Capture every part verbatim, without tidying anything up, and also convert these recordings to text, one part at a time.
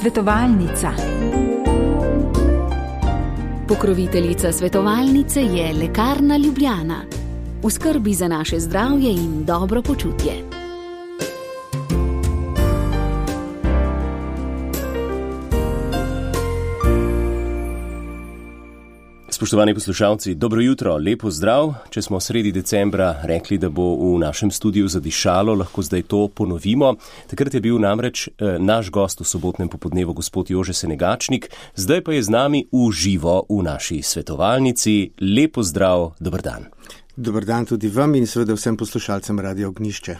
Svetovalnica. Pokroviteljica svetovalnice je Lekarna Ljubljana. V skrbi za naše zdravje in dobro počutje. Spoštovani poslušalci, dobro jutro, lepo zdrav. Če smo sredi decembra rekli, da bo v našem studiu zadišalo, lahko zdaj to ponovimo. Takrat je bil namreč eh, naš gost v sobotnem popodnevu gospod Jože Senegačnik, zdaj pa je z nami v živo v naši svetovalnici. Lepo zdrav, dober dan. Dober dan tudi vam in seveda vsem poslušalcem Radio Ognjišče.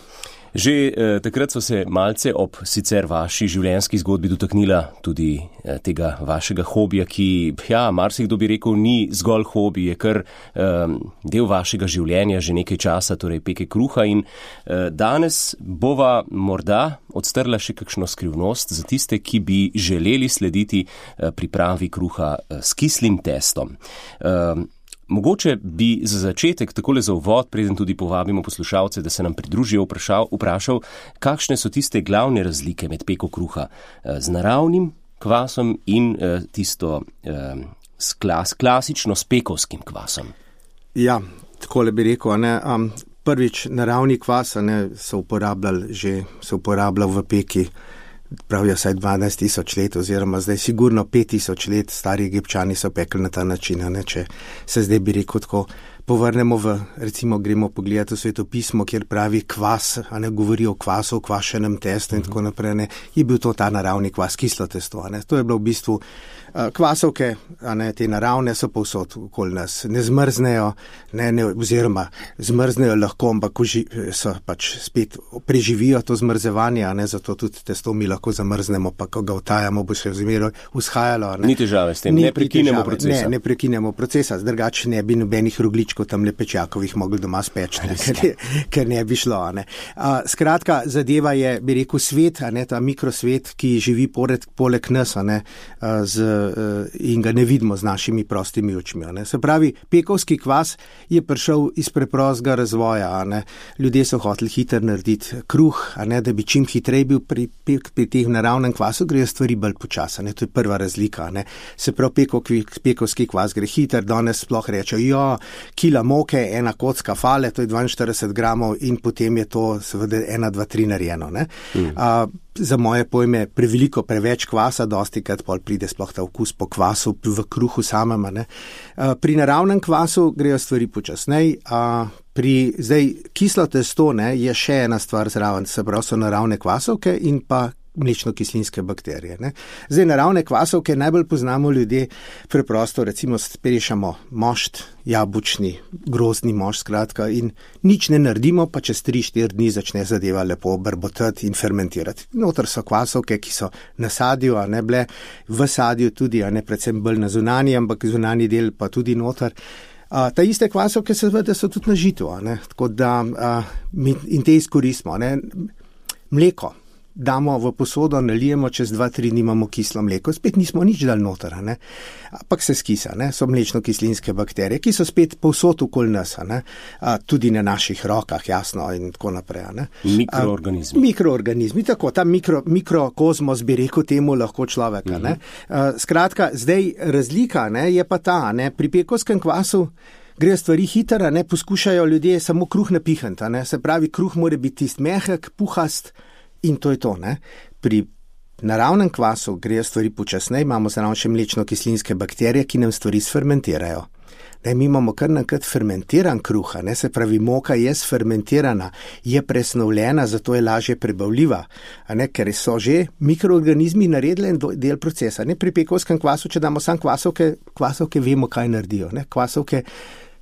Že eh, takrat so se malce ob sicer vaši življenjski zgodbi dotaknila tudi eh, tega vašega hobija, ki, ja, marsikdo bi rekel, ni zgolj hobi, je kar eh, del vašega življenja že nekaj časa, torej peke kruha in eh, danes bova morda odstrla še kakšno skrivnost za tiste, ki bi želeli slediti eh, pripravi kruha eh, s kislim testom. Eh, Mogoče bi za začetek, takole za uvod, preden tudi povabimo poslušalce, da se nam pridružijo, vprašal, vprašal, kakšne so tiste glavne razlike med peko kruha z naravnim kvasom in tisto s klas, klasično s pekovskim kvasom. Ja, takole bi rekel, ne, um, prvič naravni kvas ne, so uporabljali že, so uporabljali v peki, pravijo saj dvanajst tisoč let oziroma zdaj sigurno pet tisoč let stari Egipčani so pekli na ta način, ne, če se zdaj bi rekel tako povrnemo v, recimo gremo pogledati v svetopismo, kjer pravi kvas, a ne govori o kvasu, o kvašenem testu in tako naprej, ne, je bil to ta naravni kvas, kislo testo, ne, to je bilo v bistvu uh, kvasovke, a ne, te naravne so povsod okoli nas, ne zmrznejo, ne, ne, oziroma zmrznejo lahko, ampak uži, so pač spet preživijo to zmrzevanje, a ne, zato tudi testo mi lahko zamrznemo, pa ko ga vtajamo, bo še vzmeroj vzhajalo, ne. Ni težave s tem, ni, ne prekinemo procesa. Ne, ne prekinemo procesa, drugače ne bi nobenih rogličkov tam lepečakovih mogli doma speč, ne, ker, ker ne bi šlo. Ne. A, skratka, zadeva je, bi rekel, svet, a ne, ta mikrosvet, ki živi pored, poleg nas, a ne, a, z, a, in ga ne vidimo z našimi prostimi očmi. A ne. Se pravi, pekovski kvas je prišel iz preprostega razvoja. A ne. Ljudje so hoteli hitro narediti kruh, a ne, da bi čim hitreje bil pri, pri, pri teh naravnem kvasu, grejo stvari bolj počasa. Ne. To je prva razlika. A ne. Se pravi, pekovski, pekovski kvas gre hiter, danes sploh reče, jo, kila moke, ena kocka fale, to je dvainštirideset gramov in potem je to seveda ena, dva, tri narejeno. Ne? Mm. A, za moje pojme preveliko, preveč kvasa, dosti krat pol pride sploh ta okus po kvasu v kruhu samem. Ne? A, pri naravnem kvasu grejo stvari počasnej, a pri zdaj kislo testo ne, je še ena stvar zraven, se pravi so naravne kvasovke in pa mlečno-kislinske bakterije. Ne. Zdaj, naravne kvasovke najbolj poznamo ljudje preprosto, recimo sprešamo mošt, jabučni, grozdni mošt, skratka, in nič ne naredimo, pa čez tri štiri dni začne zadeva lepo brbotati in fermentirati. Noter so kvasovke, ki so na sadju, a ne bile v sadju tudi, a ne predvsem bolj na zunanji, ampak zunanji del pa tudi noter. A, ta iste kvasovke seveda so tudi na žitu, a ne, tako da a, in te izkoristimo, a ne. Mleko damo v posodo, nalijemo, čez dva, tri dni imamo kislo mleko, spet nismo nič dal noter, ne, ampak se skisa, ne, so mlečno-kislinske bakterije, ki so spet povsod okoli nas, ne, a, tudi na naših rokah, jasno, in tako naprej, ne. Mikroorganizmi. A, mikroorganizmi, tako, ta mikro, mikrokozmos bi rekel temu lahko človeka, uh-huh. ne. A, skratka, zdaj razlika, ne, je pa ta, ne, pri pekovskem kvasu grejo stvari hitro, ne, poskušajo ljudje samo kruh napihniti, ne, se pravi, kruh mora biti tist mehek, puhast, in to je to, ne. Pri naravnem kvasu grejo stvari počasneje, imamo zraven še mlečno-kislinske bakterije, ki nam stvari sfermentirajo. Ne, mi imamo kar nakrat fermentiran kruha, ne, se pravi, moka je sfermentirana, je presnovljena, zato je lažje prebavljiva, a ne, ker so že mikroorganizmi naredili en del procesa. Ne, pri pekovskem kvasu, če damo sam kvasovke, kvasovke vemo, kaj naredijo, ne, kvasovke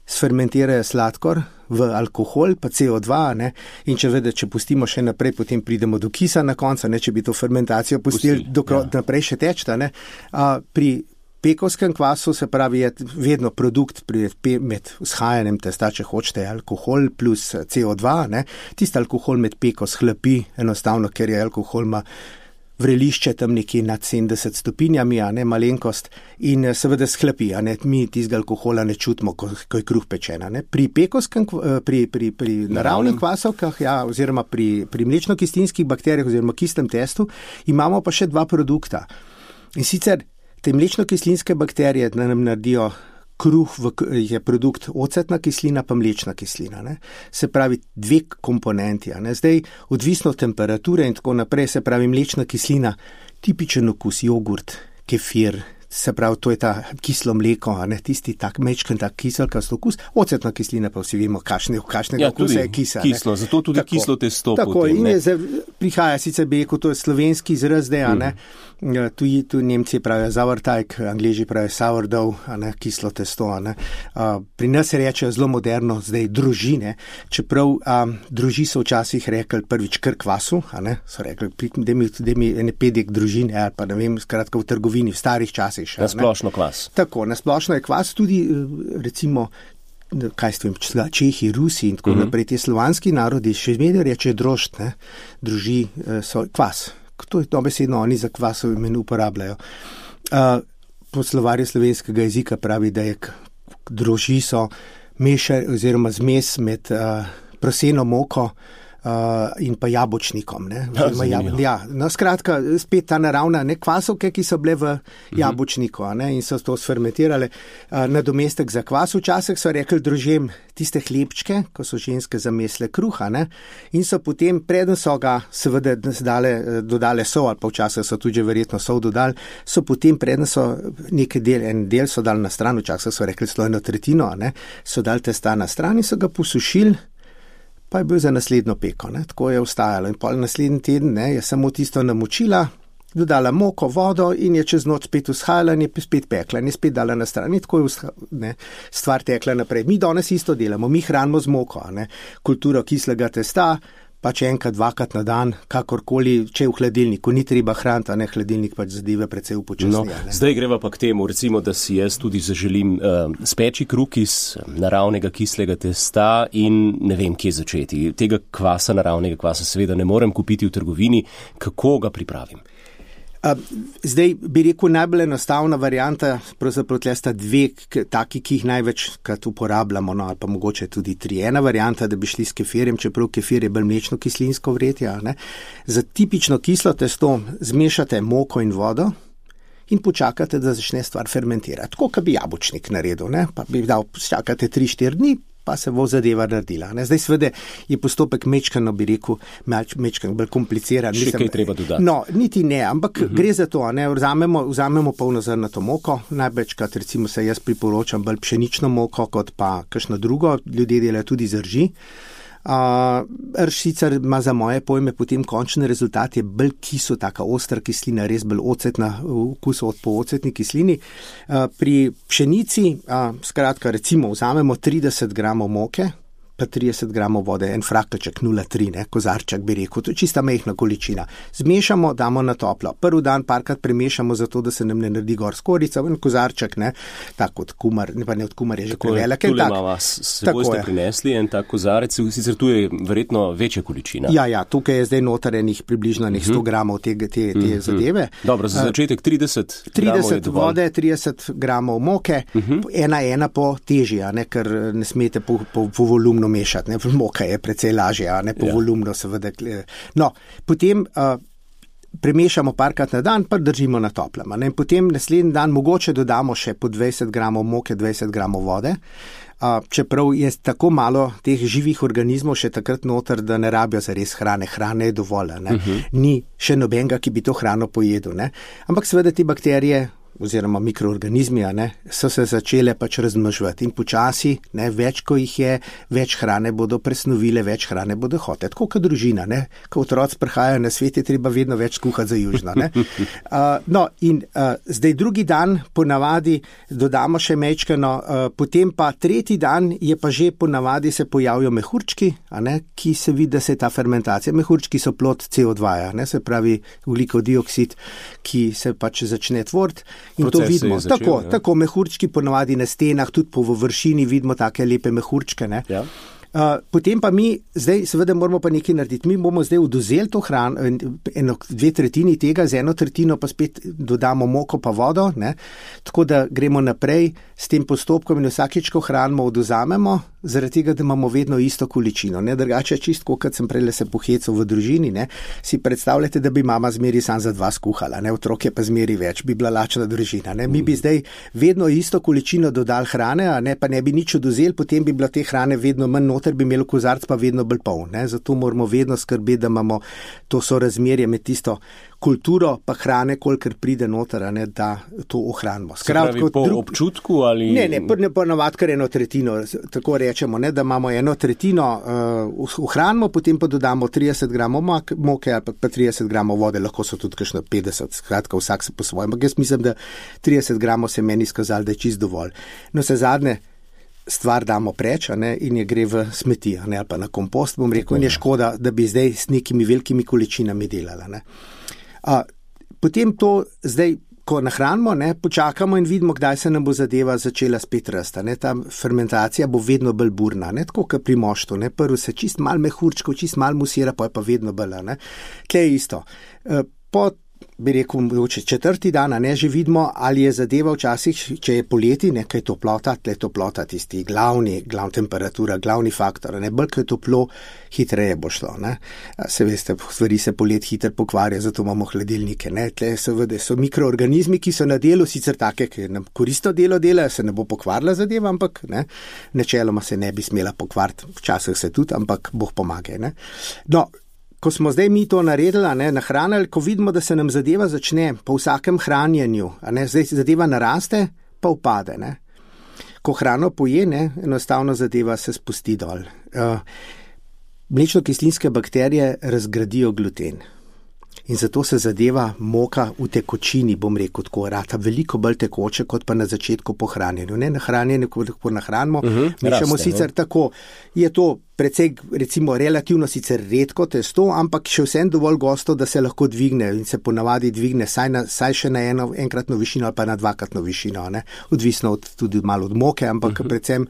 sfermentirajo sladkor v alkohol, pa C O dva, ne, in če vede, če pustimo še naprej, potem pridemo do kisa na koncu, ne, če bi to fermentacijo pustili Pusti, do, ja. naprej še tečta, ne. A, pri pekovskem kvasu se pravi je vedno produkt pri, med vzhajanjem testa, če hočete, alkohol plus C O dva, ne, tisti alkohol med peko shlapi, enostavno, ker je alkohol ima vrelišče tam nekje nad sedemdeset stopinjami, a ne malenkost, in seveda sklepi, a ne, mi tistega alkohola ne čutimo, ko, ko je kruh pečena. Ne. Pri pekovskem, pri, pri, pri naravnih kvasovkah, ja, oziroma pri, pri mlečno-kislinskih bakterijah oziroma kislem testu, imamo pa še dva produkta. In sicer te mlečno-kislinske bakterije nam naredijo kruh, v, je produkt ocetna kislina pa mlečna kislina. Ne. Se pravi dve komponenti. Ne. Zdaj, odvisno od temperature in tako naprej, se pravi mlečna kislina, tipičen okus, jogurt, kefir, se pravi, to je ta kislo mleko, a ne, tisti tak mečken, tak kiselkast okus. Ocetna kislina pa vsi vemo, kakšne, kakšnega ja, okusa je kisa. Kislo, zato tudi tako, kislo testo. Tako, potem, in je, zdaj, prihaja sicer bi rekel, to je slovenski izraz, da, a ne, mm. tu, tu Nemci pravijo Sauerteig, Angleži pravijo sourdough, a ne, kislo testo, a ne. Uh, pri nas se reče zelo moderno, zdaj družine, čeprav um, druži so včasih rekli prvič kar kvasu, a ne, so rekli, da mi, mi ene pedek družine, ali pa ne vem, skratka v trgovini, v starih časih. Na splošno kvas. Tako, na splošno je kvas tudi, recimo, kaj ste vem, Čehi, Rusi in tako uh-huh. naprej, te slovanski narodi, še vedno reče drožd, ne, druži, so kvas. To je dobesedno, oni za kvasov imen uporabljajo. Uh, po slovarju slovenskega jezika pravi, da je droži so mešar oziroma zmes med uh, proseno moko Uh, in pa jabočnikom. Ne? Ja, jab, ja, no, skratka, spet ta naravna ne, kvasovke, ki so bile v jabočniku, a ne, in so to sfermentirale. Uh, nadomestek za kvas včasih so rekli družem tiste hlebčke, ko so ženske zamesle kruha, ne, in so potem, preden so ga seveda dale, dodale sol, ali pa včasih so tudi verjetno sol dodali, so potem, preden so nekaj del, en del so dali na stran, včasih so rekli slojno tretjino, a ne, so dali testa na stran in so ga posušili, pa je bil za naslednjo peko, ne? Tako je ostajalo. In pol naslednji teden, ne, je samo tisto namočila, dodala moko, vodo in je čez noč spet vzhajala in je spet pekla in je spet dala na stran. In tako je vzha, ne, stvar tekla naprej. Mi danes isto delamo, mi hranimo z moko, ne? Kulturo kislega testa, pač enkrat, dvakrat na dan, kakorkoli, če je v hladilniku, ni treba hraniti, a ne, hladilnik pač zadeve precej upočasnija. No, zdaj greva pa k temu, recimo, da si jaz tudi zaželim uh, speči kruh iz naravnega kislega testa in ne vem, kje začeti. Tega kvasa, naravnega kvasa, seveda ne morem kupiti v trgovini. Kako ga pripravim? Zdaj bi rekel, najbolj enostavna varianta, pravzaprav tle sta dve taki, ki jih največkrat uporabljamo, no, ali pa mogoče tudi tri. Ena varianta, da bi šli s kefirjem, čeprav kefir je bolj mlečno kislinsko vretje, ne. Za tipično kislo testo zmešate moko in vodo in počakate, da začne stvar fermentirati. Tako, kot bi jabočnik naredil, ne, pa bi dal, čakate tri štiri dni, pa se bo zadeva naredila. Ne. Zdaj seveda je postopek mečkano, bi rekel, mečkano bolj kompliciran. Še kaj treba dodati? No, niti ne, ampak uh-huh. gre za to, ne, vzamemo, vzamemo polnozrnato moko, največkrat recimo se jaz priporočam bolj pšenično moko, kot pa kakšno drugo, ljudje delajo tudi z rži. Uh, rž sicer ima za moje pojme potem končni rezultat je bolj kiso, taka ostra kislina, res bolj ocetna, vkus od po ocetni kislini. Uh, pri pšenici, uh, skratka recimo vzamemo trideset gramov moke, pa trideset gramov vode, en frakelček nula tri, ne, kozarček bi rekel, to je čista majhna količina. Zmešamo, damo na toplo. Prvi dan parkrat premešamo zato, da se nam ne naredi gor skorica, en kozarček, ne, tako od kumar, ne pa ne od kumar, je že prevelik. Tule ima vas, seboj ste prinesli en tak kozarec, sicer tu je verjetno večja količina. Ja, ja, tukaj je zdaj notarenih približno nek sto gramov te, te, te uh-huh. zadeve. Dobro, za začetek trideset trideset vode, trideset gramov moke, uh-huh. ena ena po težja, ne, ker ne smete po, po, po volumnu mešati, ne, moka je precej lažje, a ne, po ja. volumno seveda. No, potem uh, premešamo parkrat na dan, pa držimo na toplem, ne, in potem naslednji dan mogoče dodamo še po dvajset gramov moke, dvajset gramov vode, uh, čeprav je tako malo teh živih organizmov še takrat noter, da ne rabijo za res hrane, hrane je dovolj, ne, uh-huh. ni še nobenega, ki bi to hrano pojedel, ne, ampak seveda te bakterije oziroma mikroorganizmi, a ne, so se začele pač razmnoževati in počasi, ne, več ko jih je, več hrane bodo presnovile, več hrane bodo hotele. Tako kot družina, ne, ko otroci prihajajo na svet, je treba vedno več kuhati za južno, ne. Uh, no, in uh, zdaj drugi dan ponavadi dodamo še mečkano, uh, potem pa tretji dan je pa že ponavadi se pojavijo mehurčki, a ne, ki se vidi, da se je ta fermentacija. Mehurčki so plod C O dva, ne, se pravi ugljikov dioksid, ki se pač začne tvoriti. In proces to vidimo. Začel, tako, ja. tako mehurčki ponavadi na stenah, tudi po površini vidimo take lepe mehurčke. Ne? Ja. Uh, potem pa mi, zdaj seveda moramo pa nekaj narediti. Mi bomo zdaj oduzeli to hrano, eno, dve tretjini tega, z eno tretjino pa spet dodamo moko pa vodo, ne? Tako da gremo naprej s tem postopkom in vsakič, ko hranimo, oduzamemo, zaradi tega, da imamo vedno isto količino. Ne? Drugače čisto, kot sem prej se pohecal v družini, ne? Si predstavljate, da bi mama zmeri sam za dva skuhala, ne? Otrok je pa zmeri več, bi bila lačna družina. Ne? Mi bi zdaj vedno isto količino dodali hrane, a ne, pa ne bi nič oduzeli, potem bi bila te hrane vedno manj noter, bi imel kozarc pa vedno bolj poln. Ne? Zato moramo vedno skrbeti, da imamo to sorazmerje med tisto kulturo pa hrane, kolikor pride noter, a ne, da to ohranimo. Skratka, po drug... občutku ali... Ne, ne, ne ponovadi kar eno tretjino, tako rečemo, ne, da imamo eno tretjino uh, ohranimo, potem pa dodamo trideset gramov moke ali pa trideset gramov vode, lahko so tudi kakšno petdeset, skratka vsak se po svojem. Jaz mislim, da trideset gramov se meni skazali, da je čist dovolj. No, se zadnje stvar damo preč, a ne, in je gre v smeti, a ne, ali pa na kompost, bom rekel, in je škoda, da bi zdaj s nekimi velikimi količinami delala, ne. A, potem to zdaj, ko nahranimo, ne, počakamo in vidimo, kdaj se nam bo zadeva začela spet rasti. Ne. Ta fermentacija bo vedno bolj burna, ne, tako kot pri moštu. Ne. Prvo se čist mal mehurčkov, čist mal musira, pa je pa vedno bolj. Ne. Kaj je isto. E, po bi rekel, četrti dan, ne, že vidimo, ali je zadeva včasih, če je poleti, nekaj toplota, tle toplota, tisti glavni, glavna temperatura, glavni faktor, ne, bolj, ko je toplo, hitreje bo šlo, ne. Se veste, stvari se polet hitro pokvarja, zato imamo hladilnike, ne, tle seveda so mikroorganizmi, ki so na delu, sicer take, ki nam koristo delo delajo, se ne bo pokvarila zadeva, ampak, ne, načeloma se ne bi smela pokvariti, včasih se tudi, ampak Bog pomaga, ne. No, ko smo zdaj mi to naredili, ne, nahranili, ko vidimo, da se nam zadeva začne po vsakem hranjenju, a ne, zdaj zadeva naraste, pa upade, ne. Ko hrano poje, ne, enostavno zadeva se spusti dol. Uh, mlečno-kislinske bakterije razgradijo gluten. In zato se zadeva moka v tekočini, bom rekel tako, rata veliko bolj tekoče, kot pa na začetku po hranjenju. Ne, na hranjenju, ko lahko nahranimo, uh-huh, mešamo raste, sicer ne? Tako, je to precej, recimo, relativno sicer redko testo, ampak še vsem dovolj gosto, da se lahko dvigne in se ponavadi dvigne saj, na, saj še na eno enkratno višino ali pa na dvakratno višino, ne? Odvisno od, tudi malo od moke, ampak uh-huh. predvsem.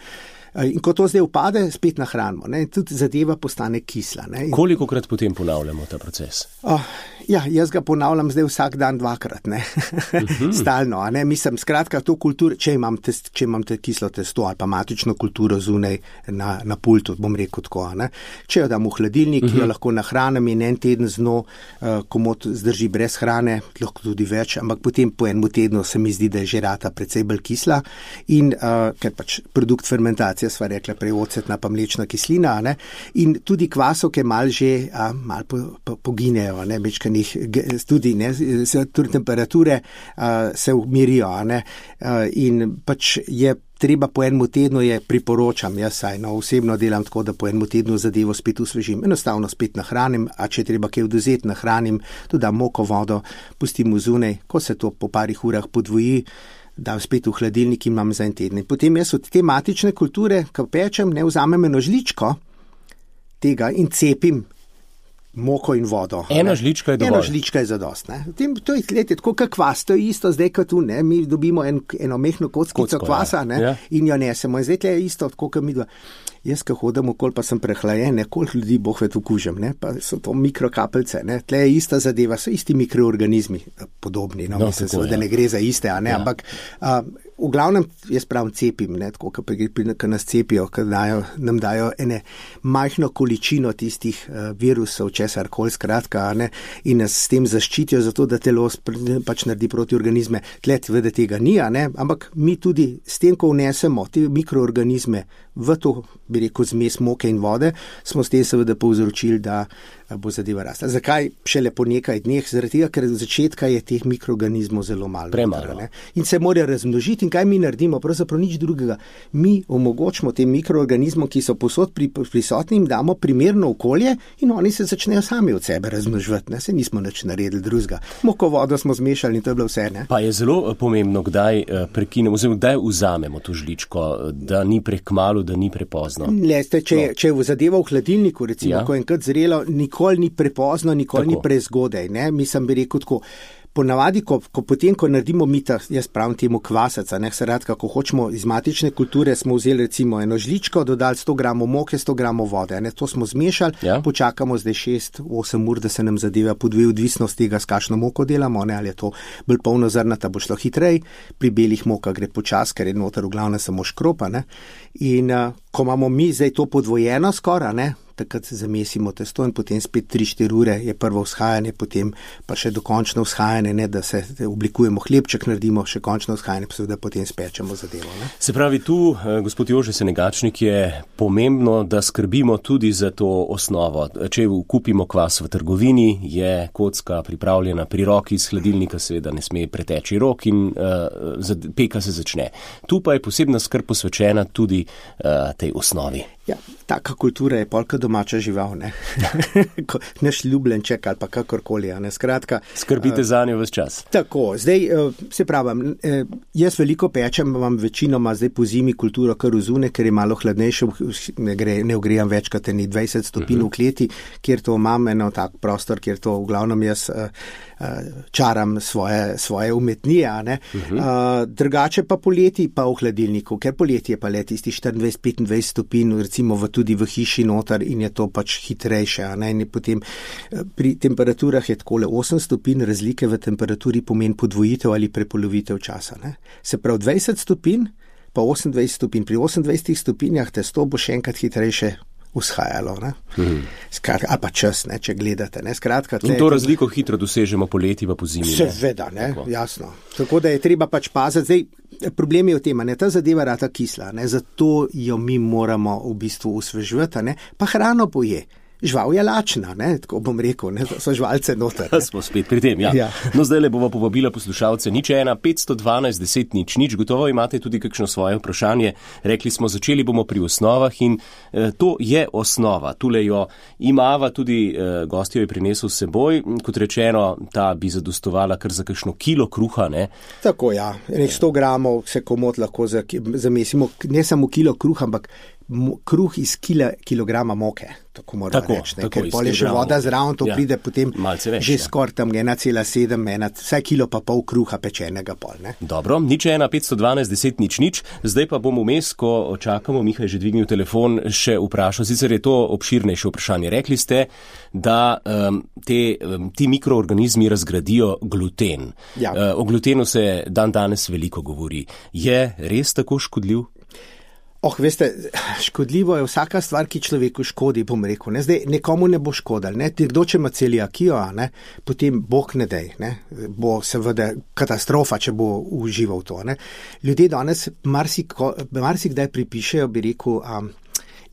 In ko to zdaj upade, spet nahranimo, ne, tudi zadeva postane kisla. Ne. Kolikokrat potem ponavljamo ta proces? Oh, ja, jaz ga ponavljam zdaj vsak dan dvakrat, ne, uh-huh. stalno, a ne, mislim, skratka, to kulturo, če imam, test, če imam te kislo testo ali pa matično kulturo zunaj na, na pultu, bom rekel tako, ne, če jo dam v hladilnik, uh-huh. jo lahko nahranim in en teden z njo, uh, komot zdrži brez hrane, lahko tudi več, ampak potem po enem tednu se mi zdi, da je že rata precej bolj kisla in uh, ker pač produkt fermentacije sva rekla prej ocetna pa mlečna kislina, ne? In tudi kvasovke mal že a, mal po, po, poginejo, ne? Mečkanih, tudi, ne? Tudi temperature a, se umirijo, ne? A, in pač je treba po enem tednu, je priporočam, jaz saj no, osebno delam tako, da po enem tednu zadevo spet usvežim, enostavno spet nahranim, a če treba kaj oduzeti, nahranim, dodam moko, vodo, pustim v zunaj, ko se to po parih urah podvoji, dam spet v hladilnik in imam za en teden. Potem jaz od te matične kulture, ko pečem, ne vzamem eno žličko tega in cepim moko in vodo. Eno žličko je dovolj. Eno žličko je zadost. Ne. Tem, to je glede, tako kot kvas, to je isto zdaj kot tu, ne. Mi dobimo en, eno mehno kockico Kocko, kvasa, ne, ja. In jo nesemo. In zdaj je isto, tako kot mi dva. Jaz, ko hodim okoli, pa sem prehlajen, koliko ljudi boh ved ukužem, ne, pa so to mikrokapljice, ne, tle je ista zadeva, so isti mikroorganizmi, podobni, no, no mislim, tako, da ja. Ne gre za iste, a ne, ja. Ampak a, v glavnem, jaz pravim, cepim, ne, tako, ko nas cepijo, ko dajo, nam dajo ene majhno količino tistih uh, virusov, česar koli skratka, ne, in nas s tem zaščitijo, zato da telo pač naredi protiorganizme. Tle tvede tega ni, a ne, ampak mi tudi s tem, ko vnesemo te mikroorganizme v to, bi rekel, zmes moke in vode, smo s tem seveda povzročili, da bo zadeva rasla. Zakaj šele po nekaj dneh? Zaradi tega, ker od začetka je teh mikroorganizmov zelo malo. Premalo. Ne? In se morajo razmnožiti. In kaj mi naredimo? Pravzaprav nič drugega. Mi omogočimo tem mikroorganizmom, ki so posod pri, prisotni, jim damo primerno okolje in oni se začnejo sami od sebe razmnoževati. Ne? Se nismo nič naredili drugega. Moko vodo smo zmešali in to je bilo vse. Ne? Pa je zelo pomembno, kdaj prekinemo, oziroma kdaj vzamemo to žličko, da ni prekmalu, da ni prepozno. Leste, če, no. če je zadeva v hladilniku, recimo, ja. Ko je enkrat zrelo, nikoli nikoli ni prepozno, nikoli tako. Ni prezgodaj, ne, mislim bi rekel tako. Ponavadi, ko, ko potem, ko naredimo mita, jaz pravim temu kvasaca, ne, skratka, ko hočemo iz matične kulture, smo vzeli recimo eno žličko, dodali sto gramov moke, sto gramov vode, ne, to smo zmešali, ja. Počakamo zdaj šest osem ur, da se nam zadeva podvoji, odvisno z tega, s kakšno moko delamo, ne, ali je to bolj polnozrnata, bo šlo hitrej, pri belih mokah gre počas, ker je noter v glavnem samo škropa, ne, in uh, ko imamo mi zdaj to podvojeno skoraj, ne, takrat zamesimo testo in potem spet tri štiri ure je prvo vzhajanje, potem pa še dokončno vzhajanje, ne, da se oblikujemo hlebček, naredimo še končno vzhajanje, pa seveda potem spečemo zadevo. Ne. Se pravi, tu, gospod Jože Senegačnik, je pomembno, da skrbimo tudi za to osnovo. Če kupimo kvas v trgovini, je kocka pripravljena pri roki iz hladilnika, seveda ne sme preteči rok in uh, peka se začne. Tu pa je posebna skrb posvečena tudi uh, tej osnovi. Ja, taka kultura je polka domača žival, ne. Naš ljubljenček ali pa kakorkoli, ne, skratka. Skrbite uh, za njo ves čas. Tako, zdaj, uh, se pravim, uh, jaz veliko pečem, imam večinoma zdaj po zimi kulturo kar vzune, ker je malo hladnejše, ne, gre, ne ogrejam več kot eni dvajset stopinj uh-huh. v kleti, kjer to imam eno tak prostor, kjer to v glavnem jaz uh, uh, čaram svoje, svoje umetnije, ne. Uh-huh. Uh, drugače pa poleti pa v hladilniku, ker poleti je pa le tisti štiriindvajset petindvajset stopinj, recimo v, tudi v hiši noter in je to pač hitrejše. Ne? In potem pri temperaturah je takole osem stopinj, razlike v temperaturi pomeni podvojitev ali prepolovitev časa. Ne? Se pravi dvajset stopinj, pa osemindvajset stopinj. Pri osemindvajsetih stopinjah testo bo še enkrat hitrejše vzhajalo. Ne? Hmm. Skratka, ali pa čas, ne, če gledate. Ne? Skratka, in to razliko hitro dosežemo poleti pa po zimi. Seveda, ne, Tako. jasno. Tako da je treba pač paziti. Zdaj, problem je v tem, ne, ta zadeva rata kisla, ne, zato jo mi moramo v bistvu osveživati, ne, pa hrano poje. Žival je lačna, ne, tako bom rekel, ne, so živalce noter. Ne. Smo spet pri tem, ja. ja. No, zdaj le bova povabila poslušalce. Nič ena, petsto dvanajst, deset, nič, nič. Gotovo imate tudi kakšno svoje vprašanje. Rekli smo, začeli bomo pri osnovah in eh, to je osnova. Tule jo imava tudi eh, gostjo je prinesel s seboj. Kot rečeno, ta bi zadostovala kar za kakšno kilo kruha, ne? Tako, ja. Nek sto gramov se komot lahko zamesimo, ne samo kilo kruha, ampak kruh iz kila, kilograma moke, tako moramo tako, reči, ne? Ker pol je že voda zraven, to ja, pride potem več, že ja. Skoraj tam ena cela sedem, vsaj kilo pa pol kruha pečenega pol. Ne? Dobro, nič ena, petsto dvanajst, deset, nič, nič. Zdaj pa bom vmes, ko čakamo, Miha je že dvignil telefon, še vprašal, sicer je to obširnejše vprašanje. Rekli ste, da um, te, um, ti mikroorganizmi razgradijo gluten. Ja. Uh, o glutenu se dan danes veliko govori. Je res tako škodljiv? Oh, veste, škodljivo je vsaka stvar, ki človeku škodi, bom rekel. Ne? Zdaj, nekomu ne bo škodil. Ne? Kdo, če ima celiakijo, ne? Potem bog ne dej, ne? Bo seveda katastrofa, če bo užival to. Ne? Ljudje danes marsikdaj pripišejo, bi rekel, um,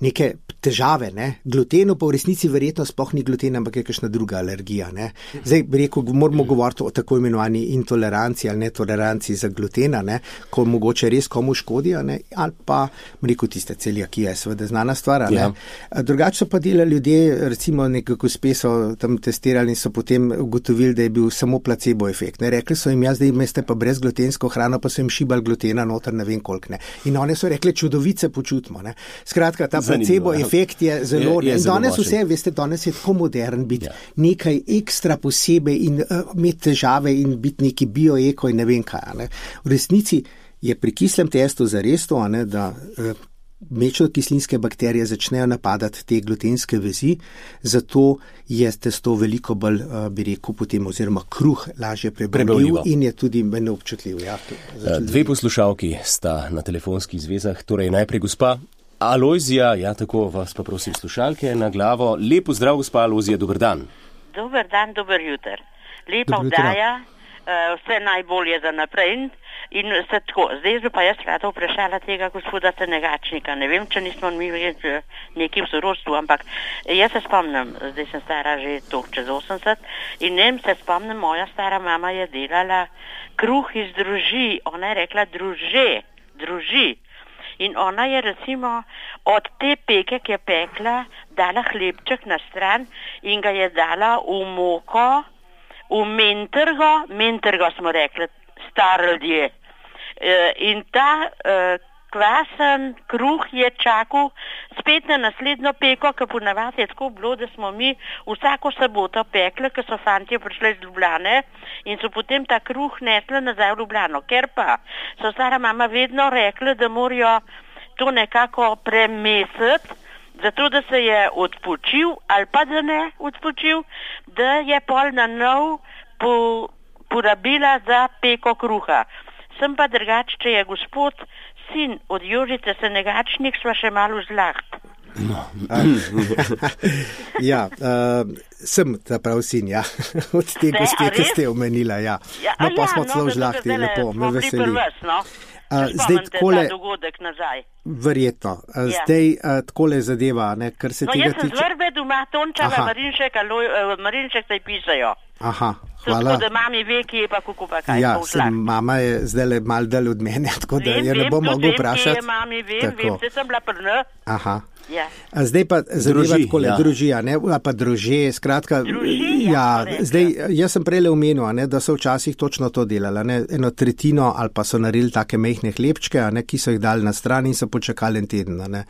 neke težave, ne. Glutenu pa v resnici verjetno sploh ni gluten, ampak je kakšna druga alergija, ne. Zdaj bi rekel, moramo govoriti o tako imenovani intoleranciji ali netoleranciji za glutena, ne, ko mogoče res komu škodijo, ne, ali pa, bi rekel, tiste celiakija je seveda znana stvar, ne. Ja. Drugače so pa delali ljudje, recimo nekako gospe so tam testirali in so potem ugotovili, da je bil samo placebo efekt, ne. Rekli so jim, ja, zdaj imeste pa brezglutensko hrano, pa so jim šibali glutena noter, ne vem koliko, ne. In one so rekli, čudovice počutimo, ne. Skratka, ta placebo efekt je zelo, je, je zelo danes močen. Vse, veste, danes je tako modern biti ja. Nekaj ekstra posebej in uh, imeti težave in biti neki bioeko in ne vem kaj. Ne. V resnici je pri kislem testu zares to, ne, da uh, mlečnokislinske bakterije začnejo napadati te glutenske vezi, zato je testo veliko bolj, uh, bi rekel, potem oziroma kruh lažje prebavljiv in je tudi manj občutljiv. Ja, Dve poslušalki sta na telefonskih zvezah, torej najprej gospa Alojzija, ja, tako vas pa prosim slušalke na glavo. Lepo zdrav, gospa Alojzija, dober dan. Dober dan, dober jutr. Lepa vdaja, uh, vse najbolje za naprej in, in se tako. Zdaj bi pa jaz rada vprašala tega gospoda Senegačnika. Ne vem, če nismo mi nekaj v sorodstvu, ampak jaz se spomnim, zdaj sem stara že to čez osemdeset in ne vem, se spomnim, moja stara mama je delala kruh iz druži, ona je rekla druže, druži. In ona je recimo od te peke, ki je pekla, dala hlebček na stran in ga je dala v moko, v mentrgo, mentrgo smo rekli, star ljudje. E, in ta e, kvasen kruh je čakal spet na naslednjo peko, ker ponavadi je tako bilo, da smo mi vsako soboto pekli, ker so fantje prišli iz Ljubljane in so potem ta kruh nesli nazaj v Ljubljano. Ker pa so stara mama vedno rekli, da morajo to nekako premesiti, zato da se je odpočil ali pa da ne odpočil, da je pol na nov po, porabila za peko kruha. Sem pa drugače, če je gospod sin od Jožice Senegačnik, sva še malo zlaht. No. ja, uh, sem ta prav sin, ja. Od te gospe, ki ste omenila, ja. ja no, pa ja, smo no, celo zlahti, lepo, me veseli. Prves, no? Uh, zdaj, takole, dogodek nazaj. Verjetno. Uh, ja. Zdaj, uh, takole zadeva, ne, kar se no, tega tiče... No, jaz sem zvrbe doma, Tončava, Marinšek, uh, Marinšek se pišajo. Aha, hvala. Tako da mami ve, ki je pa kako pa kaj. Ja, sem, mama je zdaj le mal dalj od mene, tako da vem, je ne bom mogel vprašati. Vem, vem, mami, vem, vem, se sem bila prna. Aha. Ja. A zdaj pa zadeva takole, ja. družija, ne, a pa druže, skratka, druži, ja, ja zdaj, jaz sem prej omenil, ne, da so včasih točno to delali, ne, eno tretjino ali pa so naredili take mehne hlebčke, a ne, ki so jih dali na stran in so počakali en teden, a ne.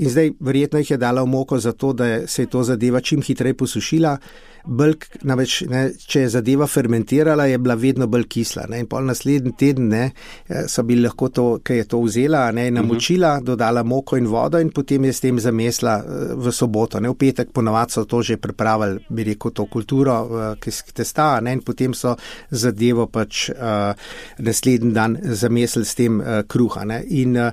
In zdaj verjetno jih je dala v moko zato, da se je to zadeva čim hitreje posušila. Bolj, namreč, ne, če je zadeva fermentirala, je bila vedno bolj kisla. Ne, in pol naslednji teden ne, so bili lahko to, ki je to vzela, ne, namočila, dodala moko in vodo in potem je s tem zamesla v soboto. Ne, v petek ponovadi so to že pripravili, bi rekel, to kulturo, ki testa, ne, in potem so zadevo pač uh, naslednji dan zamesili s tem uh, kruha. Ne, in uh,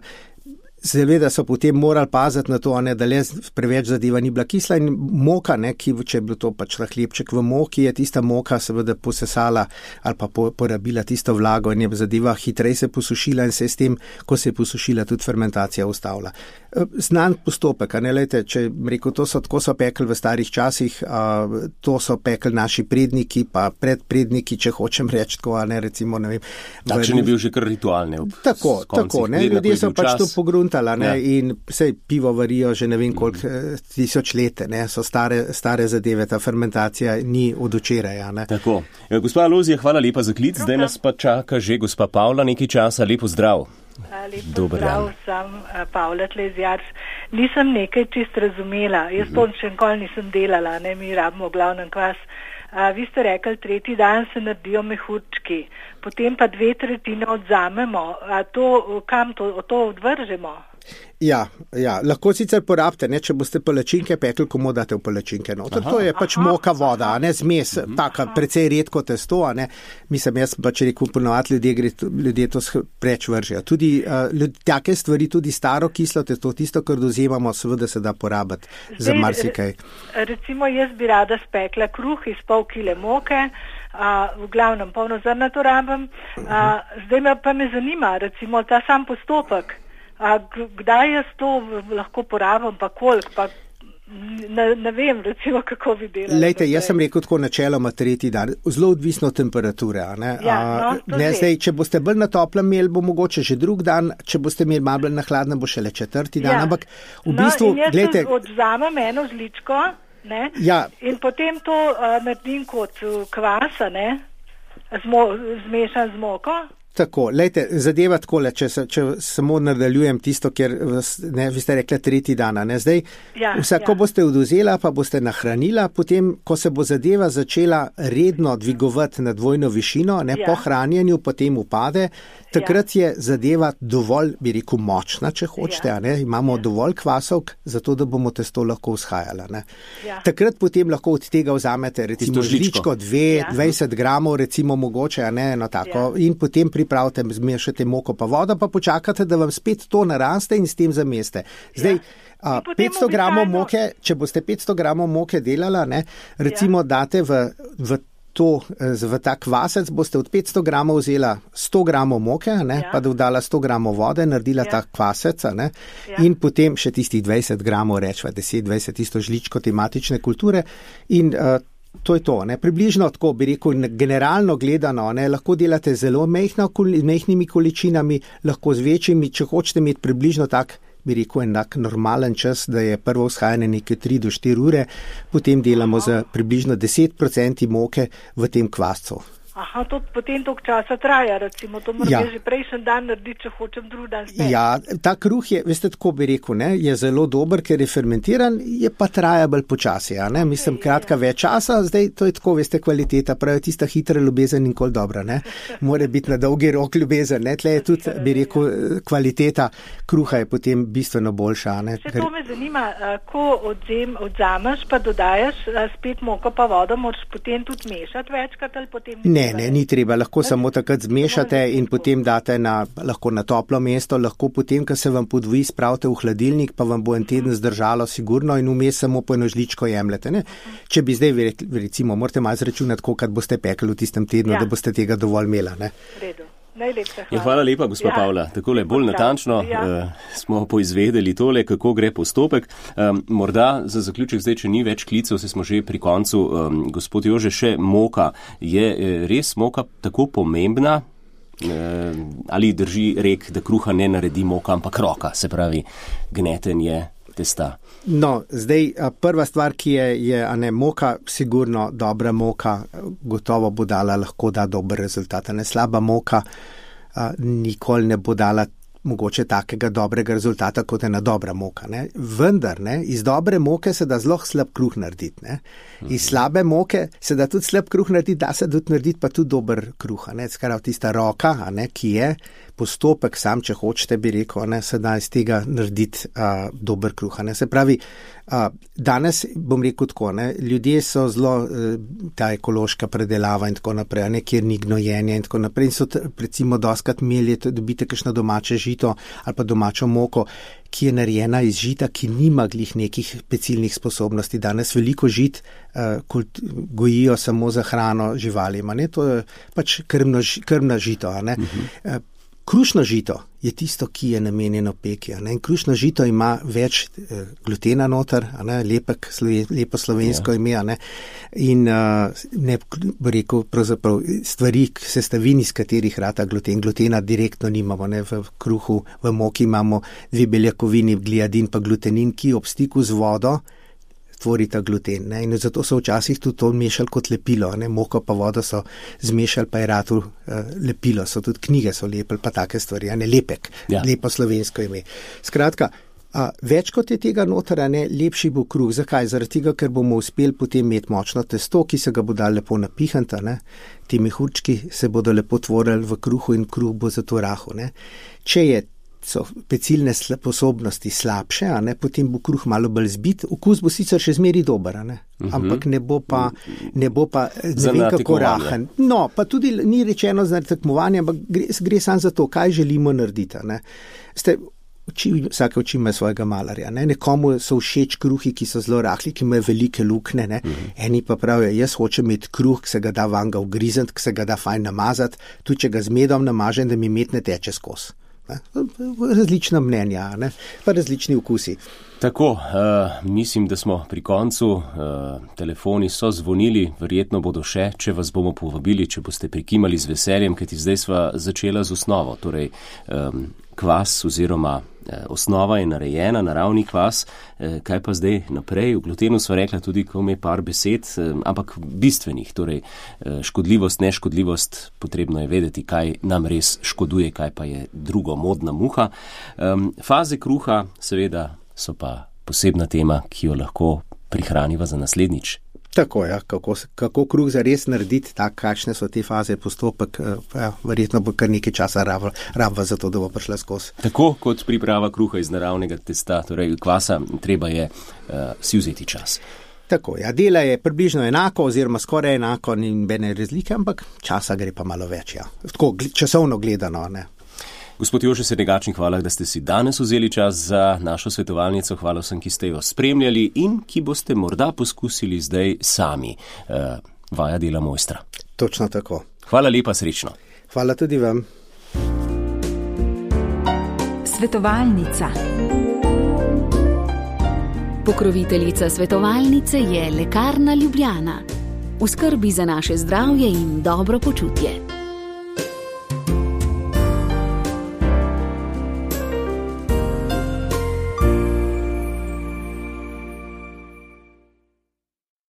seveda so potem morali paziti na to, ne, da le preveč zadeva ni bila kisla in moka, ne, ki, če je bil to pač hlebček v moki, je tista moka seveda posesala ali pa po, porabila tisto vlago in je zadeva hitreje se posušila in se s tem, ko se je posušila, tudi fermentacija ustavila. Znan postopek, a ne, lejte, če rekel, to so, tako so pekli v starih časih, a, to so pekli naši predniki, pa predpredniki, če hočem reči tako, a ne, recimo, ne vem. Takšen je bil že kar ritualne. Tako, tako, ne, ljudje so pač to pogruntali. Ne, ja. In vse pivo varijo že ne vem koliko mm. tisoč let, ne, so stare, stare zadeve, ta fermentacija ni od včeraj. Ne. Tako. Gospa Alojzija, hvala lepa za klic, zdaj nas pa čaka že gospa Pavla, nekaj časa, lepo zdrav. Lepo Dobar zdrav, dan. Sem uh, Pavla Tlezjarc. Nisem nekaj čist razumela, jaz mm. to še nikoli nisem delala, ne, mi rabimo glavnem kvas. A, vi ste rekli, tretji dan se naredijo mehurčki, potem pa dve tretjine odzamemo. A to, kam to, to odvržemo? Ja, ja, lahko sicer porabite, ne, če boste palačinke pekli, komu date v palačinke. No. To, to je pač aha, moka voda, a ne zmes, uh-huh. taka precej redko testo, a ne. Mislim, jaz pač rekel, ponovati ljudje, gre, ljudje to preč vržejo. Tudi uh, ljud, take stvari, tudi staro kislo testo, tisto, kar dozemamo, seveda se da porabiti za marsikaj. Recimo, jaz bi rada spekla kruh iz pol kile moke, a, v glavnem polnozrnato rabim, a, zdaj me pa me zanima, recimo, ta sam postopek. A kdaj jaz to lahko porabim, pa koliko, pa ne, ne vem, recimo, kako bi delali. Lejte, jaz sem rekel tako načeloma tretji dan, zelo odvisno od temperature. Ne? Ja, no, A, ne, zdaj, če boste bolj na toplem imeli, bo mogoče že drug dan, če boste imeli malo bolj na hladnem, bo šele četrti dan, ja. Ampak v bistvu, no, in jaz glejte, odzamem eno žličko, ne, ja. In potem to uh, naredim kot kvasa, ne, zmo, zmešan z moko. Tako, lejte, zadeva takole, če, se, če samo nadaljujem tisto, ker ne, vi ste rekli tretji dan, ne, zdaj, ja, vsako ja. Boste oduzela, pa boste nahranila, potem, ko se bo zadeva začela redno dvigovati na dvojno višino, ne, ja. Po hranjenju potem upade, takrat ja. Je zadeva dovolj, bi rekel, močna, če hočete, ja. Ne, imamo ja. Dovolj kvasovk, zato da bomo testo lahko vzhajala, ne. Ja. Takrat potem lahko od tega vzamete, recimo, žličko, dve, ja. dvajset gramov, recimo, mogoče, ne, no tako, ja. In potem pri pripravite, zmešate moko pa vodo, pa počakate, da vam spet to naraste in s tem zameste. Zdaj, ja. a, petsto gramov moke, če boste petsto gramov moke delala, ne, recimo ja. Date v, v to, v ta kvasec, boste od petsto gramov vzela sto gramov moke, ne, ja. Pa dodala sto gramov vode, naredila ja. Ta kvasec, ne, ja. In potem še tistih dvajset gramov, rečva deset dvajset, tisto žličko tematične kulture in uh, to je to, ne, približno tako bi rekel, generalno gledano, ne, lahko delate zelo mehna, mehnimi količinami, lahko z večjimi, če hočete imeti približno tak, bi rekel, enak normalen čas, da je prvo vzhajanje neke tri do štiri ure, potem delamo za približno deset procentov moke v tem kvascu. Aha, to potem toliko časa traja, recimo, to moram Ja. že prejšnji dan narediti, če hočem drugi dan spet. Ja, ta kruh je, veste, tako bi rekel, ne, je zelo dober, ker je fermentiran, je pa traja bolj počasi, a ne, mislim, kratka več časa, zdaj to je tako, veste, kvaliteta, pravi tista hitra ljubezen nikoli dobra, ne, mora biti na dolgi rok ljubezen, ne, tle je tudi, bi rekel, kvaliteta kruha je potem bistveno boljša, a ne. Še to me zanima, a, ko odzem, odzameš pa dodajaš a, spet moko pa vodo, moraš potem tudi mešati večkrat ali potem... Ne, ne, ni treba, lahko samo takrat zmešate in potem date na, lahko na toplo mesto, lahko potem, ko se vam podvoji, spravite v hladilnik, pa vam bo en teden zdržalo sigurno in vmes samo po eno žličko jemljete, ne. Če bi zdaj, recimo, morate malo zračunati, kolikrat boste pekli v tistem tednu, Ja. da boste tega dovolj imela, ne. V redu. Najlepša hvala. Ja, hvala lepa, gospa Ja. Pavla. Takole bolj natančno Ja. uh, smo poizvedeli tole, kako gre postopek. Um, morda za zaključek zdaj, če ni več klicev, se smo že pri koncu. Um, gospod Jože, še moka. Je eh, res moka tako pomembna? Uh, ali drži rek, da kruha ne naredi moka, ampak roka, se pravi gnetenje testa? No, zdaj a, prva stvar, ki je, je a ne, moka, sigurno dobra moka, gotovo bo dala, lahko da dober rezultat. A ne, slaba moka a, nikoli ne bo dala mogoče takega dobrega rezultata, kot je ena dobra moka. Ne. Vendar, ne, iz dobre moke se da zelo slab kruh narediti. Ne. Iz slabe moke se da tudi slab kruh narediti, da se tudi narediti pa tudi dober kruh. A ne. Skrav, tista roka, a ne, ki je postopek, sam, če hočete, bi rekel, ne, se da iz tega narediti a, dober kruh. A ne. Se pravi, a, danes bom rekel tako, ne, ljudje so zelo a, ta ekološka predelava in tako naprej, a ne, kjer ni gnojenja in tako naprej. In so t, recimo doskrat imeli, dobite kakšno domače žito ali pa domačo moko, ki je narejena iz žita, ki nima glih nekih pecilnih sposobnosti. Danes veliko žit uh, kult, gojijo samo za hrano živalim, a ne, to je pač krmno, krmna žito, a ne. Uh-huh. Uh, Krušno žito je tisto, ki je namenjeno peki. In krušno žito ima več eh, glutena noter, a ne, lepek, sloven, lepo slovensko ja. ime. A ne, in uh, ne bi rekel pravzaprav stvari, sestavin, iz katerih rata gluten. Glutena direktno nimamo. Ne, v kruhu, v moki imamo dve beljakovini, gliadin pa glutenin, ki ob stiku z vodo tvorita gluten. Ne? In zato so včasih tudi to mešali kot lepilo. Ne? Moko pa vodo so zmešali, pa je ratu uh, lepilo. So tudi knjige so lepili, pa take stvari. Ne? Lepek, ja. Lepo slovensko ime. Skratka, a, več kot je tega noter, ne, lepši bo kruh. Zakaj? Zaradi tega, ker bomo uspeli potem imeti močno testo, ki se ga bo dal lepo napihanta. Ne? Ti mehurčki se bodo lepo tvorili v kruhu in kruh bo zato rahel. Ne? Če je so pecilne sposobnosti slabše, a ne, potem bo kruh malo bolj zbit, okus bo sicer še zmeri dober, a ne, uh-huh. ampak ne bo pa, ne bo pa ne vem kako rahen. No, pa tudi ni rečeno za tekmovanje, ampak gre, gre samo za to, kaj želimo narediti, a ne. Ste, oči, vsake oči ima svojega malarja, ne, nekomu so všeč kruhi, ki so zelo rahli, ki imajo velike lukne, ne, uh-huh. eni pa pravijo, jaz hočem imeti kruh, ki se ga da van ga ugrizant, ki se ga da fajn namazati, tudi če ga z medom namažem, da mi med ne teče skozi. Različna mnenja, ne? Pa različni okusi. Tako, uh, mislim, da smo pri koncu. Uh, telefoni so zvonili, verjetno bodo še, če vas bomo povabili, če boste prikimali z veseljem, kajti zdaj sva začela z osnovo. Torej, um, kvas oziroma eh, osnova je narejena, naravni kvas, eh, kaj pa zdaj naprej? V glutenu sva rekla tudi, ko me par besed, eh, ampak bistvenih, torej eh, škodljivost, neškodljivost, potrebno je vedeti, kaj nam res škoduje, kaj pa je drugo, modna muha. Um, faze kruha, seveda, so pa posebna tema, ki jo lahko prihraniva za naslednjič. Tako, ja, kako, kako kruh zares narediti, tak, kakšne so te faze, postopek, ja, verjetno bo kar nekaj časa rabva za to, da bo prišla skozi. Tako kot priprava kruha iz naravnega testa, torej kvasa, treba je uh, si vzeti čas. Tako, ja, dela je približno enako oziroma skoraj enako, ni nobene razlike, ampak časa gre pa malo več, ja. Tako, časovno gledano, ne. Gospod Jože Senegačnik, hvala, da ste si danes vzeli čas za našo svetovalnico. Hvala vsem, ki ste jo spremljali in ki boste morda poskusili zdaj sami. Uh, vaja dela mojstra. Točno tako. Hvala lepa, srečno. Hvala tudi vam. Svetovalnica. Pokroviteljica svetovalnice je Lekarna Ljubljana. V skrbi za naše zdravje in dobro počutje.